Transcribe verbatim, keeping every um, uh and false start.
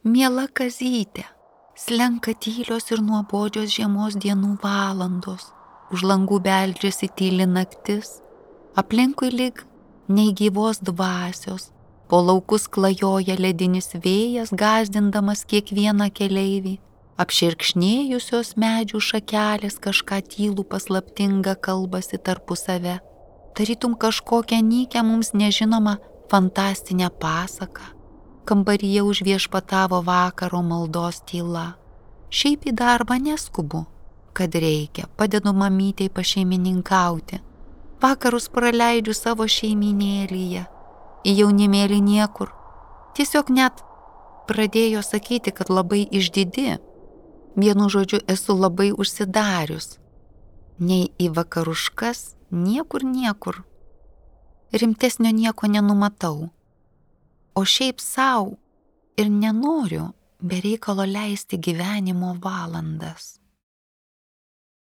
Miela Kazytė, slenka tylios ir nuobodžios žiemos dienų valandos, už langų beldžiasi tyli naktis, aplinkui lyg nei gyvos dvasios, po laukus klajoja ledinis vėjas, gąsdindamas kiekvieną keleivį, apšerkšnėjusios medžių šakelės kažką tylų paslaptingą kalbasi tarpusave, tarytum kažkokią nykią mums nežinomą fantastinę pasaką. Kambaryje užviešpatavo vakaro maldos tyla. Šiaip į darbą neskubu, kad reikia, padedu mamytei pašeimininkauti. Vakarus praleidžiu savo šeiminėlyje, į jaunimėlį niekur. Tiesiog net pradėjo sakyti, kad labai išdidi. Vienu žodžiu esu labai užsidarius. Nei į vakaruškas, niekur niekur. Rimtesnio nieko nenumatau. O šiaip sau ir nenoriu be reikalo leisti gyvenimo valandas.